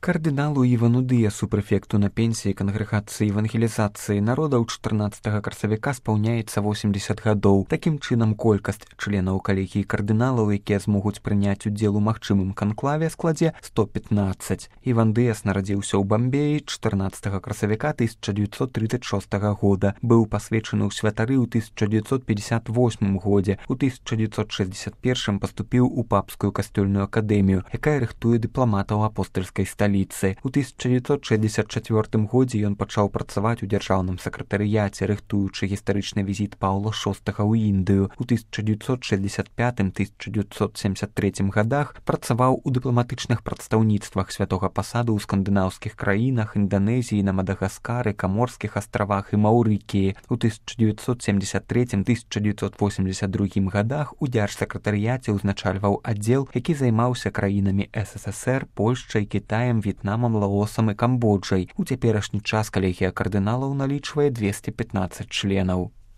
Кардыналу Івану Дыясу, прэфекту на пенсіі кангрэгацыі евангелізацыі народаў 14 красавіка спаўняецца 80 гадоў. Такім чынам, колькасць членаў калегіі кардыналаў, якія змогуць прыняць удзел у магчымым канклаве, складзе 115. Іван Дыяс нарадзіўся ў Бамбеі 14 красавіка 1936 года. Быў пасвечаны ў святары ў 1958 годзе. У 1961 паступіў у папскую касцёльную акадэмію, якая рыхтуе дыпламатаў апостальскай сталіцы. У 1964 годзе ён пачаў працаваць у дзяржаўным сакратарыяце, рыхтуючы гістарычны візіт Паўла VI ў Індыю. У 1965-1973 годах працаваў у дыпламатычных прадстаўніцтвах святога пасаду ў скандынаўскіх краінах, Інданезіі, на Мадагаскары, Каморскіх астравах і Маўрыкіі. У 1973-1982 годах у дзяржсакратарыяце ўзначальваў аддзел, які займаўся краінамі СССР, Польшчай, Кітаем, В'етнамам, Лаосам і Камбоджай. У цяперашні час калегія кардыналаў налічвае 215 членаў.